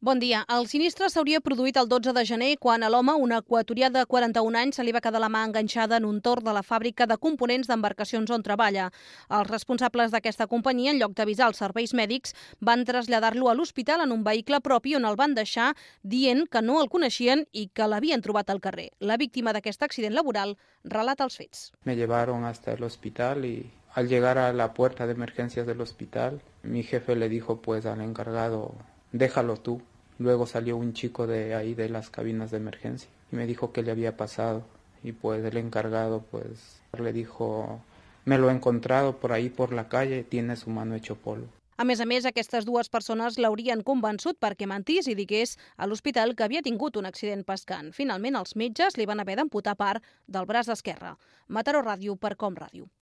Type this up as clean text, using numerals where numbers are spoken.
Bon dia. El sinistre s'hauria produït el 12 de gener quan a l'home, un equatorià de 41 anys, se li va quedar la mà enganxada en un torn de la fàbrica de components d'embarcacions on treballa. Els responsables d'aquesta companyia, en lloc d'avisar els serveis mèdics, van traslladar-lo a l'hospital en un vehicle propi on el van deixar dient que no el coneixien i que l'havien trobat al carrer. La víctima d'aquest accident laboral relata els fets. Me llevaron hasta el hospital y al llegar a la puerta de emergencias del hospital, mi jefe le dijo pues al encargado, déjalo tú. Luego salió un chico de ahí de las cabinas de emergencia y me dijo qué le había pasado. Y pues el encargado pues le dijo, me lo he encontrado por ahí por la calle, tiene su mano hecho polvo. A més, aquestes dues persones l'haurien convençut perquè mentís i digués a l'hospital que havia tingut un accident pescant. Finalment, els metges li van haver d'amputar part del braç esquerre. Mataró Ràdio per Com Ràdio.